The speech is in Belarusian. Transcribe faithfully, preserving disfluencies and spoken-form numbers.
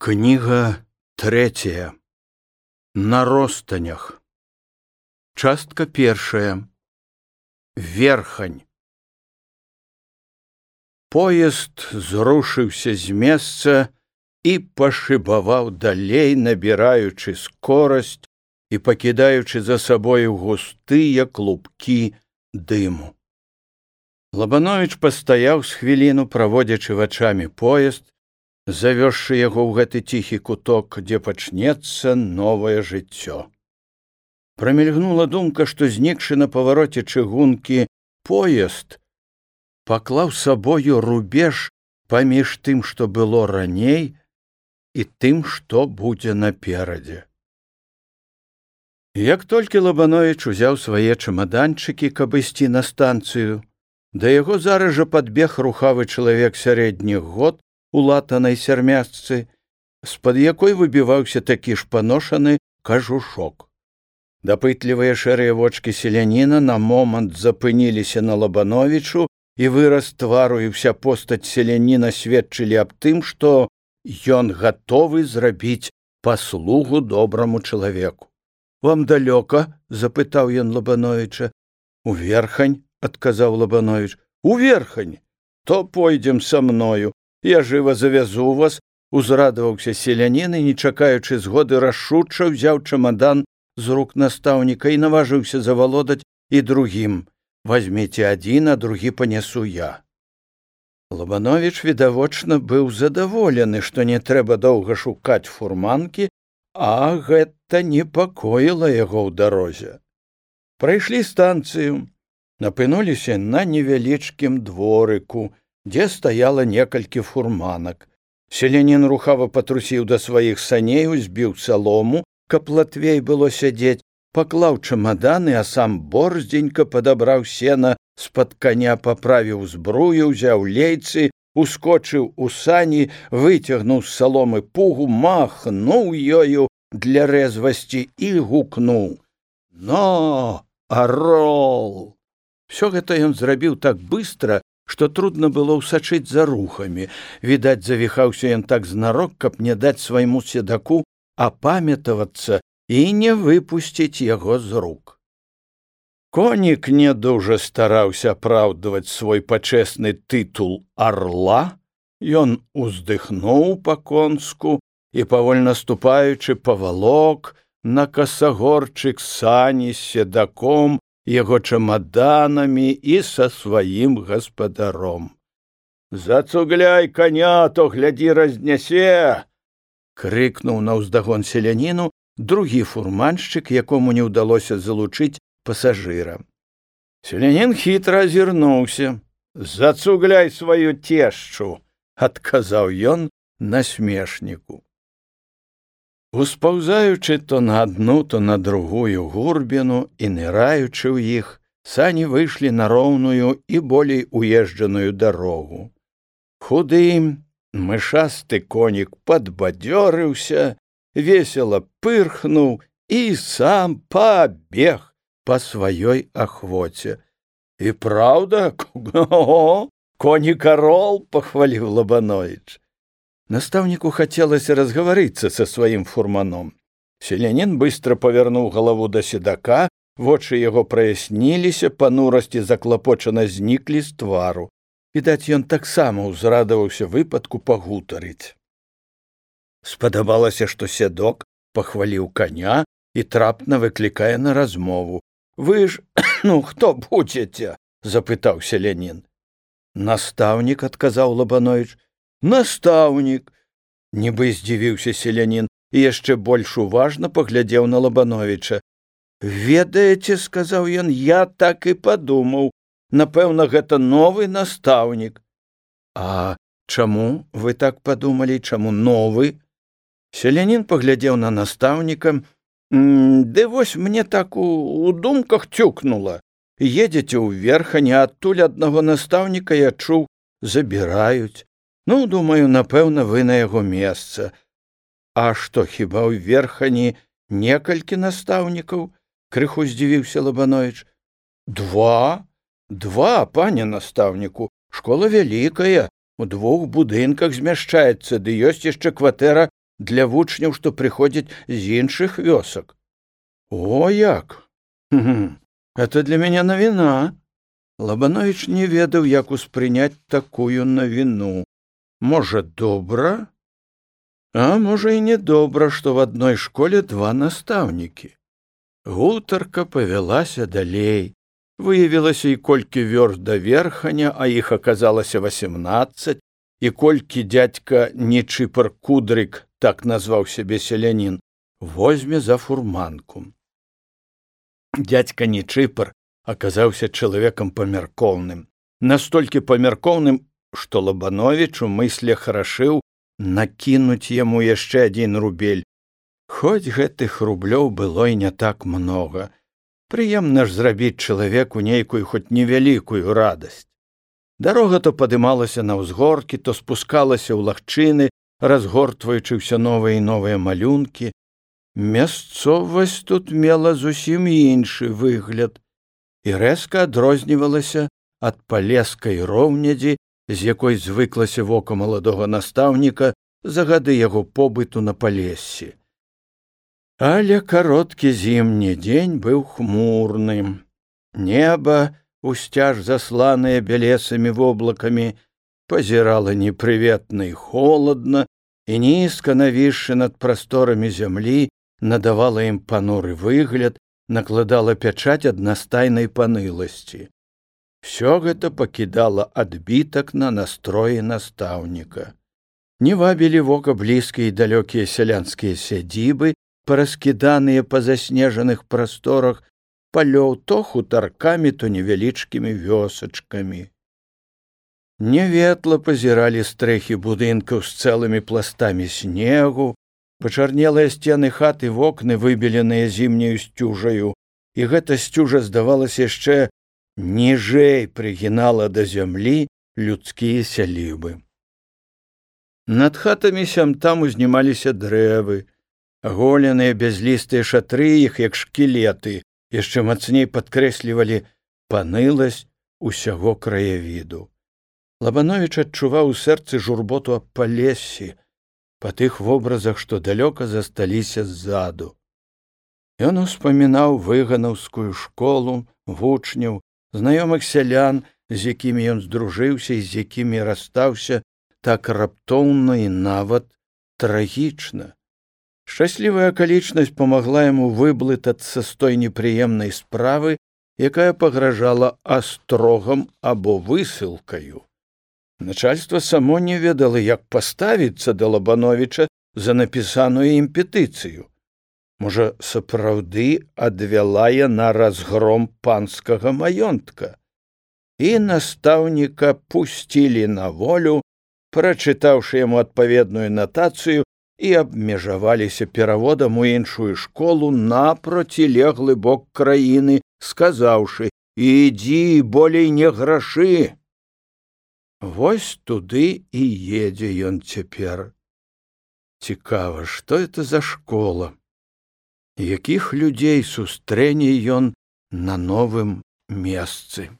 Книга третья. На ростанях. Частка першая. Верхань. Поезд зрушыўся з месца і пашыбаваў далей, набіраючы скорасць і пакідаючы за сабою густыя клубкі дыму. Лабановіч пастаяў з хвіліну, праводзячы вачамі поезд, завёзшы яго ў гэты ціхі куток, дзе пачнецца новае жыццё. Прамільгнула думка, што знікшы на павароце чыгункі поезд паклаў сабою рубеж паміж тым, што было раней, і тым, што будзе наперадзе. Як толькі Лабановіч узяў свае чамаданчыкі, каб ісці на станцыю, да яго зараз жа падбег рухавы чалавек сярэдніх год у латанай сярмясцы, з-пад якой выбіваўся такі ж паношаны кажушок. Дапытлівыя шэрыя вочкі селяніна на момант запыніліся на Лабановічу, і выраз твару і ўся постаць селяніна сведчылі аб тым, што ён гатовы зрабіць паслугу добраму чалавеку. «Вам далёка?» — запытаў ён Лабановіча. «У Верхань», — адказаў Лабановіч. «У Верхань? То пойдзем са мною. Я жыва завязу вас», — узрадаваўся селянін і, не чакаючы згоды, рашуча ўзяў чамадан з рук настаўніка і наважыўся завалодаць і другім. «Вазьміце адзін, а другі панясу я». Лабановіч, відавочна, быў задаволены, што не трэба доўга шукаць фурманкі, а гэта непакоіла яго ў дарозе. Прайшлі станцыю, напынуліся на невялічкім дворыку, дзе стаяла некалькі фурманак. Селянін рухава патрусіў да сваіх саней, узбіў салому, каб латвей было сядзець, паклаў чамаданы, а сам борздзенька падабраў сена з-пад каня, паправіў збрую, узяў лейцы, ускочыў у сані, выцягнуў з саломы пугу, махнуў ёю для рэзвасці і гукнуў: «Но, арол!» Всё гэта ён зрабіў так быстра, што трудно было ўсачыць за рухамі. Відаць, завіхаўся ён так знарок, каб не даць свайму седаку апамятавацца і не выпусціць яго з рук. Конік не дужа стараўся апраўдваць свой пачэсны тытул арла. Ён уздыхнуў па-конску і, павольна ступаючы, павалок на касагорчык сані з седаком, яго чамаданамі і са сваім гаспадаром. «Зацугляй коня, то, глядзі, разнясе!» — крыкнуў наўздагон селяніну другі фурманшчык, якому не ўдалося залучыць пасажыра. Селянін хітра азірнуўся. «Зацугляй сваю цешчу!» — адказаў ён насмешніку. Успаўзаючы то на адну, то на другую гурбіну і ныраючы ў іх, сані выйшлі на роўную і болей уезджаную дарогу. Худы, мышасты конік падбадзёрыўся, весела пырхнуў і сам пабег па сваёй ахвоце. «І праўда, конік-арол!» — пахваліў Лабановіч. Настаўніку хацелася разгаварыцца са сваім фурманом. Селянін быстро павярнуў галаву да седака, вочы яго праясніліся, панурасці заклапочана зніклі з твару. Відаць, ён таксама ўзрадаваўся выпадку пагутарыць. Спадабалася, што седок пахваліў коня і трапна выклікае на размову. «Вы ж, ну, хто будзеце?» — запытаў селянін. «Настаўнік», — адказаў Лабановіч. «Настаўнік!» — нібы здзівіўся селянін і яшчэ больш уважна паглядзеў на Лабановіча. «Ведаеце, — сказаў ён, — я так і падумаў. Напэўна, гэта новы настаўнік». «А чаму вы так падумалі, чаму новы?» Селянін паглядзеў на настаўніка. «Ды вось мне так у, у думках цюкнула. Едзеце ў Верхань, а адтуль аднаго настаўніка, я чуў, забіраюць. Ну, думаю, напэўна, вы на яго месца». «А што, хіба ў Верхані некалькі настаўнікаў?» — крыху здзівіўся Лабановіч. «Два? Два, пане настаўніку. Школа вялікая, у двух будынках змяшчаецца, ды ёсць яшчэ кватэра для вучняў, што прыходзяць з іншых вёсак. О, як! Это для мяне навіна. Лабановіч не ведаў, як успрыняць такую навіну. Можа, добра? А можа, і не добра, што в адной школе два настаўнікі. Гутарка павялася далей. Выявілася, і колькі вёрст да Верханя, а іх аказалася васемнаццаць, і колькі дзядзька Нечыпар Кудрык, так назваў сябе селянін, возьме за фурманку. Дзядзька Нечыпар аказаўся чалавекам памяркоўным, настолькі памяркоўным, што Лабановіч у мыслях рашыў накінуць яму яшчэ адзін рубель. Хоць гэтых рублёў было і не так многа. Прыемна ж зрабіць чалавеку нейкую хоць невялікую радасць. Дарога то падымалася на ўзгоркі, то спускалася ў лагчыны, разгортваючы ўсё новыя і новыя малюнкі. Мясцовасць тут мела зусім іншы выгляд і рэзка адрознівалася ад палескай роўнядзі, з якой звыклася вока маладога настаўніка за гады яго побыту на Палессі. Але кароткі зімні дзень быў хмурным. Неба, усцяж засланае бялесымі воблакамі, пазірала непрыветна і холадна, і нізка навісшы над прасторамі зямлі надавала ім пануры выгляд, накладала пячаць аднастайнай паныласці. Всё гэта пакідала адбітак на настроі настаўніка. Не вабілі вока блізкія і далёкія сялянскія сядзібы, параскіданыя па заснежаных прасторах палёў то хутаркамі, то невялічкімі вёсачкамі. Няветла пазіралі стрэхі будынкаў з цэлымі пластамі снегу, пачарнелыя сцены хат і вокны, выбеленыя зімняю сцюжаю, і гэта сцюжа, здавалася, яшчэ ніжэй прыгінала да зямлі людскія сялібы. Над хатамі сям-там узнімаліся дрэвы, аголеныя бязлістыя шатры іх, як шкілеты, яшчэ мацней падкрэслівалі паныласць усяго краявіду. Лабановіч адчуваў у сэрцы журботу аб Палессі, па тых вобразах, што далёка засталіся ззаду. Ён успамінаў выганаўскую школу, вучняў, знаёмых сялян, з якімі ён здружыўся і з якімі расстаўся так раптоўна і нават трагічна. Шчаслівая акалічнасць памагла яму выблытацца з той непрыемнай справы, якая пагражала астрогам або высылкаю. Начальства само не ведала, як паставіцца да Лабановіча за напісаную ім петыцыю. Можа, сапраўды адвяла яна разгром панскага маёнтка. І настаўніка пусцілі на волю, прачытаўшы яму адпаведную натацыю, і абмежаваліся пераводам у іншую школу на процілеглы бок краіны, сказаўшы: «Ідзі, болей не грашы». Вось туды і едзе ён цяпер. Цікава, што это за школа? Якіх людзей сустрэне ён на новым месцы?